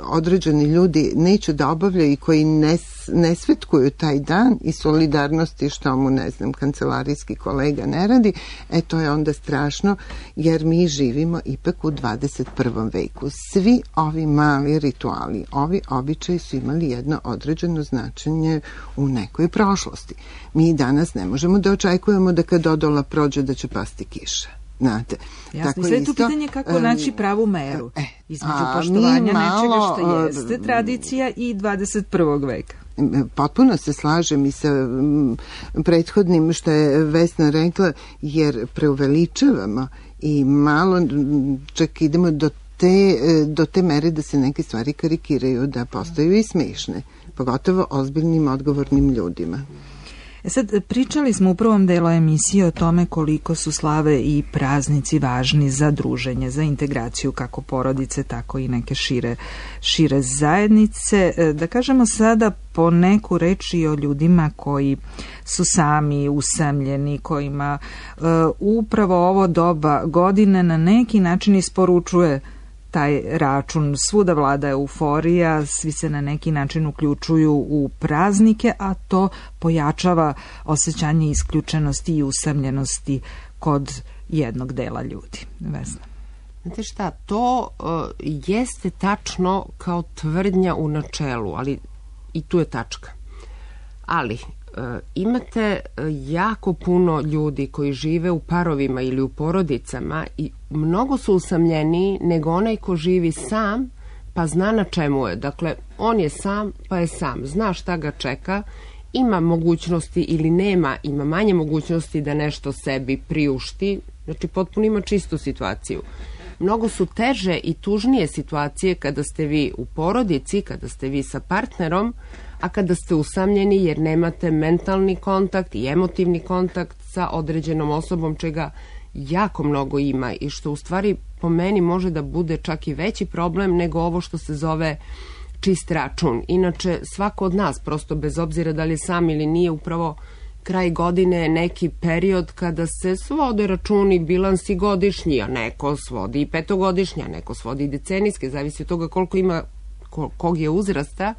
određeni ljudi neće da obavljaju i koji ne, ne svetkuju taj dan i solidarnosti što mu, ne znam, kancelarijski kolega ne radi, e to je onda strašno, jer mi živimo ipak u dvadeset prvom veku. Svi ovi mali rituali, ovi običaji su imali jedno određeno značenje u nekoj prošlosti. Mi danas ne možemo da očekujemo da kad odola prođe da će pasti kiša. Znate, jasno, tako i sve je isto, tu pitanje kako naći pravu meru e, između a, poštovanja malo, nečega što jeste tradicija i dvadeset prvog veka. Potpuno se slažem i sa m, prethodnim što je Vesna rekla, jer preuveličavamo i malo čak idemo do te, do te mere da se neke stvari karikiraju, da postaju i smešne, pogotovo ozbiljnim, odgovornim ljudima. E sad, pričali smo u prvom delu emisije o tome koliko su slave i praznici važni za druženje, za integraciju kako porodice, tako i neke šire, šire zajednice. Da kažemo sada po neku reč i o ljudima koji su sami usamljeni, kojima uh, upravo ovo doba godine na neki način isporučuje taj račun. Svuda vlada euforija, svi se na neki način uključuju u praznike, a to pojačava osjećanje isključenosti i usamljenosti kod jednog dela ljudi. Vesna. Znate šta, to uh, jeste tačno kao tvrdnja u načelu, ali i tu je tačka. Ali uh, imate jako puno ljudi koji žive u parovima ili u porodicama i mnogo su usamljeniji nego onaj ko živi sam pa zna na čemu je. Dakle, on je sam pa je sam, zna šta ga čeka, ima mogućnosti ili nema, ima manje mogućnosti da nešto sebi priušti, znači potpuno ima čistu situaciju. Mnogo su teže i tužnije situacije kada ste vi u porodici, kada ste vi sa partnerom, a kada ste usamljeni jer nemate mentalni kontakt i emotivni kontakt sa određenom osobom, čega jako mnogo ima i što u stvari po meni može da bude čak i veći problem nego ovo što se zove čist račun. Inače, svako od nas, prosto bez obzira da li je sam ili nije, upravo kraj godine je neki period kada se svode računi, bilansi godišnji, a neko svodi i petogodišnji, a neko svodi i decenijske, zavisi od toga koliko ima, kog je uzrasta.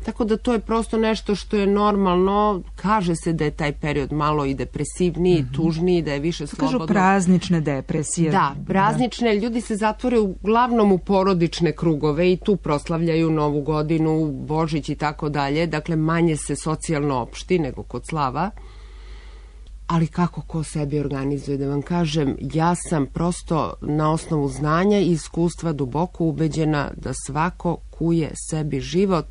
Tako da to je prosto nešto što je normalno. Kaže se da je taj period malo i depresivniji, mm-hmm. tužniji, da je više slobodno. Kažu praznične depresije. Da, praznične. Da. Ljudi se zatvore uglavnom u porodične krugove i tu proslavljaju Novu godinu, Božić i tako dalje. Dakle, manje se socijalno opšti nego kod slava. Ali kako ko sebi organizuje, da vam kažem, ja sam prosto na osnovu znanja i iskustva duboko ubeđena da svako kuje sebi život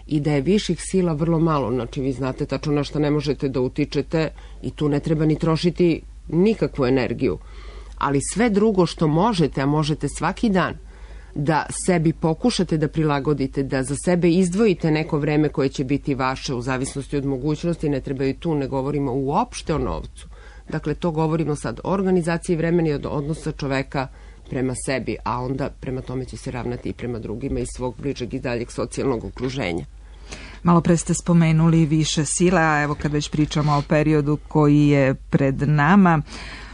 i da je viših sila vrlo malo. Znači, vi znate tačno na šta ne možete da utičete i tu ne treba ni trošiti nikakvu energiju. Ali sve drugo što možete, a možete svaki dan, da sebi pokušate da prilagodite, da za sebe izdvojite neko vreme koje će biti vaše u zavisnosti od mogućnosti, ne treba i tu, ne govorimo uopšte o novcu. Dakle, to govorimo sad o organizaciji vremena i od odnosa čoveka prema sebi, a onda prema tome će se ravnati i prema drugima iz svog bližeg i daljeg socijalnog okruženja. Malo pre ste spomenuli više sile, a evo kad već pričamo o periodu koji je pred nama,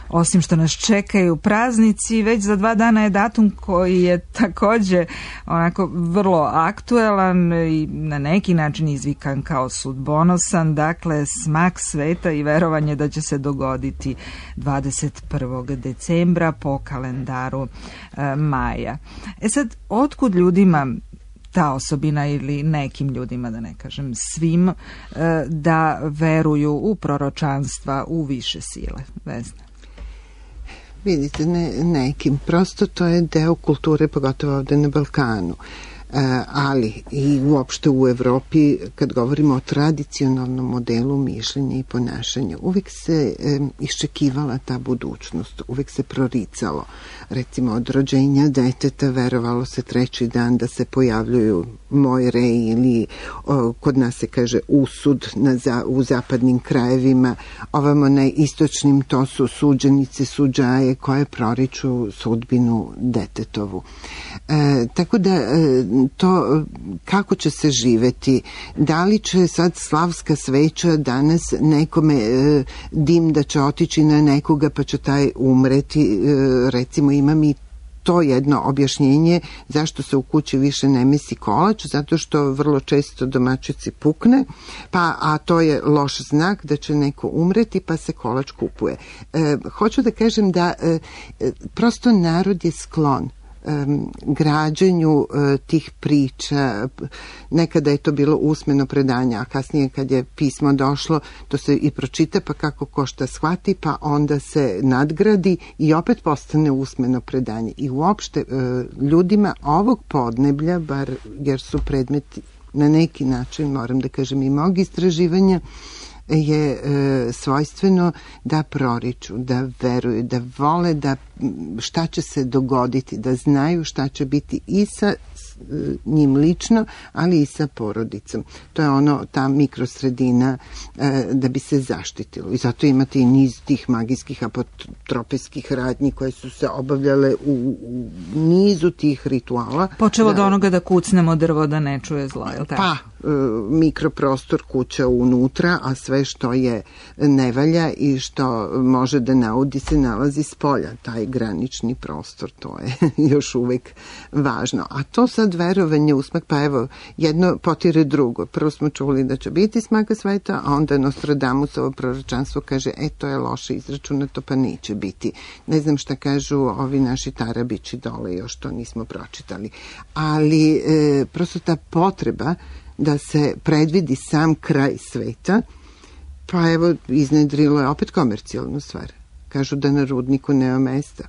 osim što nas čekaju praznici, već za dva dana je datum koji je takođe onako vrlo aktuelan i na neki način izvikan kao sudbonosan, dakle smak sveta i verovanje da će se dogoditi dvadeset prvog decembra po kalendaru e, maja. E sad, otkud ljudima ta osobina ili nekim ljudima, da ne kažem svim, e, da veruju u proročanstva, u više sile? Vesna? Vidite, ne, nekim. Prosto to je deo kulture, pogotovo ovde na Balkanu. E, ali i uopšte u Evropi, kad govorimo o tradicionalnom modelu mišljenja i ponašanja, uvek se e, iščekivala ta budućnost, uvek se proricalo. Recimo, od rođenja deteta verovalo se treći dan da se pojavljuju mojre ili o, kod nas se kaže usud na za, u zapadnim krajevima, ovamo na istočnim to su suđenice, suđaje koje proriču sudbinu detetovu. E, tako da e, to kako će se živeti, da li će sad slavska sveća danas nekome e, dim da će otići na nekoga pa će taj umreti, e, recimo imam i to jedno objašnjenje zašto se u kući više ne mesi kolač, zato što vrlo često domaćici pukne, pa, a to je loš znak da će neko umreti, pa se kolač kupuje. E, hoću da kažem da e, prosto narod je sklon Um, građenju uh, tih priča. Nekada je to bilo usmeno predanje, a kasnije kad je pismo došlo, to se i pročita, pa kako ko šta shvati, pa onda se nadgradi i opet postane usmeno predanje. I uopšte uh, ljudima ovog podneblja, bar jer su predmeti na neki način, moram da kažem, i mog istraživanja, je e, svojstveno da proriču, da veruju, da vole da šta će se dogoditi, da znaju šta će biti i sa njim lično, ali i sa porodicom. To je ono, ta mikrosredina e, da bi se zaštitilo. I zato imate i niz tih magijskih apotropijskih radnji koje su se obavljale u, u nizu tih rituala. Počelo da, od onoga da kucnemo drvo da ne čuje zlo, je li tako? Pa, e, mikroprostor kuća unutra, a sve što je nevalja i što može da naudi se nalazi s polja. Taj granični prostor, to je još uvek važno. A to sad verovanje u smak, pa evo, jedno potire drugo. Prvo smo čuli da će biti smaka sveta, a onda Nostradamusovo proročanstvo kaže, e, to je loše izračunato, pa neće biti. Ne znam šta kažu ovi naši tarabići dole, još to nismo pročitali. Ali e, prosto ta potreba da se predvidi sam kraj sveta, pa evo, iznedrilo je opet komercijalnu stvar. Kažu da na rudniku nema mesta.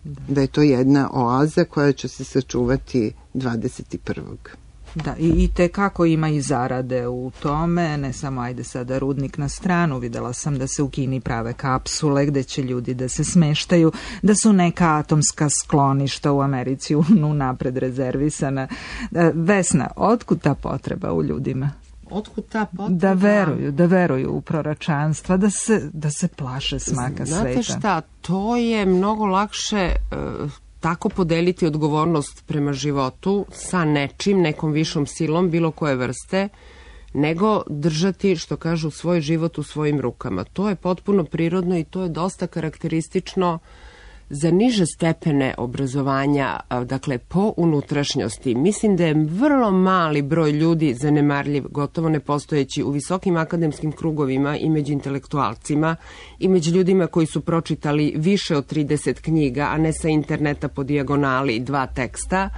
Da. da je to jedna oaza koja će se sačuvati dvadeset prvog Da, i, i te kako ima i zarade u tome, ne samo ajde sada rudnik na stranu, videla sam da se u Kini prave kapsule gde će ljudi da se smeštaju, da su neka atomska skloništa u Americi unapred rezervisana. Vesna, otkud ta potreba u ljudima? Otkud ta potreba? Da veruju, da veruju u proročanstva, da se, da se plaše smaka Znate sveta. Znate šta, to je mnogo lakše uh, tako podeliti odgovornost prema životu sa nečim, nekom višom silom, bilo koje vrste, nego držati, što kažu, svoj život u svojim rukama. To je potpuno prirodno i to je dosta karakteristično za niže stepene obrazovanja, dakle po unutrašnjosti. Mislim da je vrlo mali broj ljudi zanemarljiv, gotovo nepostojeći u visokim akademskim krugovima i među intelektualcima i među ljudima koji su pročitali više od trideset knjiga, a ne sa interneta po dijagonali dva teksta.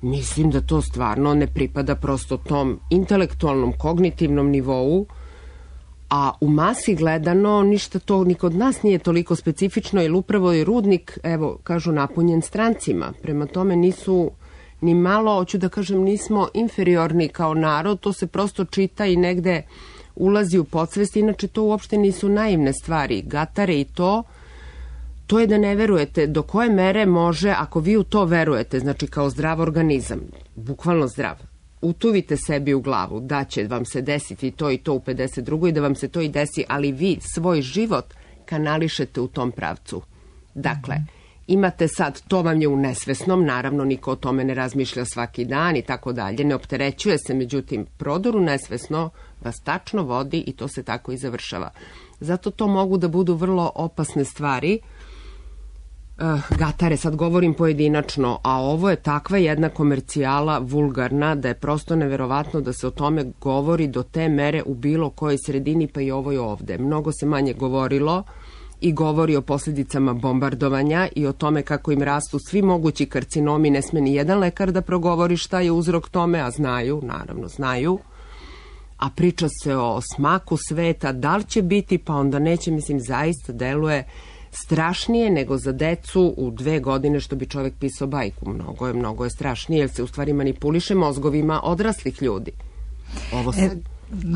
Mislim da to stvarno ne pripada prosto tom intelektualnom, kognitivnom nivou, a u masi gledano ništa to ni kod nas nije toliko specifično, jer upravo je rudnik, evo, kažu, napunjen strancima. Prema tome nisu ni malo, hoću da kažem, nismo inferiorni kao narod, to se prosto čita i negde ulazi u podsvest, inače to uopšte nisu naivne stvari. Gatare i to, to je da ne verujete do koje mere može, ako vi u to verujete, znači kao zdrav organizam, bukvalno zdrav, utuvite sebi u glavu da će vam se desiti to i to u pedeset drugoj i da vam se to i desi, ali vi svoj život kanališete u tom pravcu. Dakle, imate sad, to vam je u nesvesnom, naravno niko o tome ne razmišlja svaki dan i tako dalje, ne opterećuje se, međutim, prodor u nesvesno vas tačno vodi i to se tako i završava. Zato to mogu da budu vrlo opasne stvari. Uh, gatare, sad govorim pojedinačno, a ovo je takva jedna komercijala vulgarna da je prosto neverovatno da se o tome govori do te mere u bilo kojoj sredini, pa i ovoj ovde. Mnogo se manje govorilo i govori o posljedicama bombardovanja i o tome kako im rastu svi mogući karcinomi. Ne sme ni jedan lekar da progovori šta je uzrok tome, a znaju, naravno znaju. A priča se o smaku sveta, da li će biti, pa onda neće, mislim, zaista deluje strašnije nego za decu u dve godine, što bi čovek pisao bajku. Mnogo je, mnogo je strašnije, jer se u stvari manipuliše mozgovima odraslih ljudi. Ovo se... E,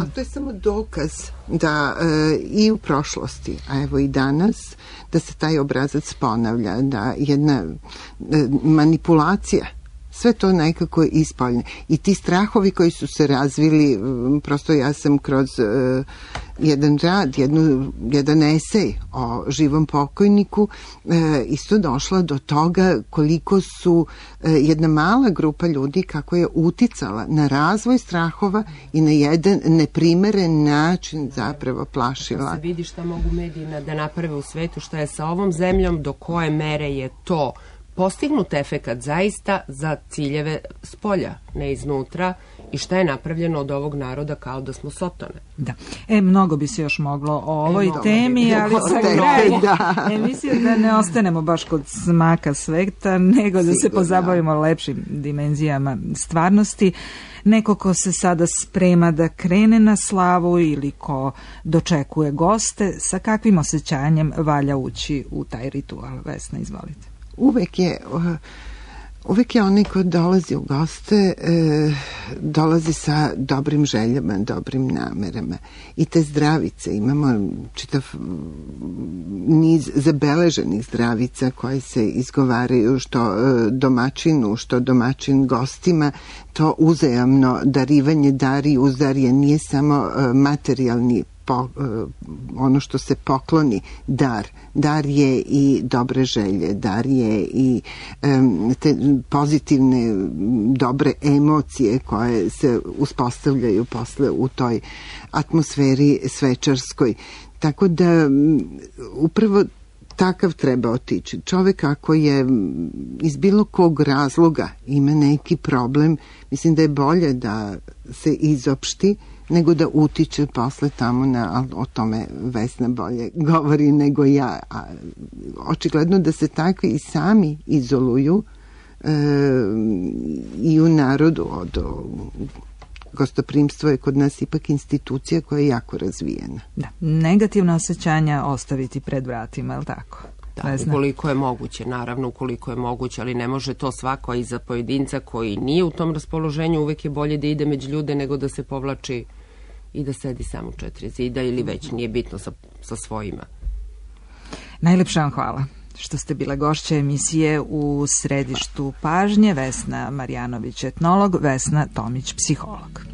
a to je samo dokaz da e, i u prošlosti, a evo i danas, da se taj obrazac ponavlja, da jedna e, manipulacija, sve to nekako ispoljne. I ti strahovi koji su se razvili, prosto ja sam kroz uh, jedan rad, jednu, jedan esej o živom pokojniku uh, isto došla do toga koliko su uh, jedna mala grupa ljudi kako je uticala na razvoj strahova i na jedan neprimeren način zapravo plašila. Da se vidi šta mogu mediji da naprave u svetu, šta je sa ovom zemljom, do koje mere je to postignut efekat zaista za ciljeve spolja, ne iznutra, i šta je napravljeno od ovog naroda kao da smo sotone. Da. E, mnogo bi se još moglo o ovoj e, temi, ali sa krajem da. emisije da ne ostanemo baš kod smaka sveta, nego da se pozabavimo lepšim dimenzijama stvarnosti. Neko ko se sada sprema da krene na slavu ili ko dočekuje goste, sa kakvim osjećanjem valja ući u taj ritual? Vesna, izvolite. Uvek je, uvek je onaj ko dolazi u goste, e, dolazi sa dobrim željama, dobrim namerama. I te zdravice, imamo čitav niz zabeleženih zdravica koje se izgovaraju što domaćinu, što domaćin gostima. To uzajamno darivanje, dari uzdarje, nije samo materijalni Po, ono što se pokloni, dar. Dar je i dobre želje, dar je i um, te pozitivne, dobre emocije koje se uspostavljaju posle u toj atmosferi svečarskoj. Tako da um, upravo takav treba otići. Čovek ako je iz bilo kog razloga ima neki problem, mislim da je bolje da se izopšti nego da utiče posle tamo na, o tome Vesna bolje govori nego ja. A, očigledno da se takvi i sami izoluju e, i u narodu od gostoprimstvo je kod nas ipak institucija koja je jako razvijena. Da, negativna osjećanja ostaviti pred vratima, je li tako? Da, ukoliko je moguće, naravno ukoliko je moguće, ali ne može to svako, i za pojedinca koji nije u tom raspoloženju uvek je bolje da ide među ljude nego da se povlači i da sedi samo u četiri zida ili već nije bitno sa, sa svojima. Najlepša vam hvala što ste bile gošće emisije U središtu pažnje. Vesna Marjanović, etnolog, Vesna Tomić, psiholog.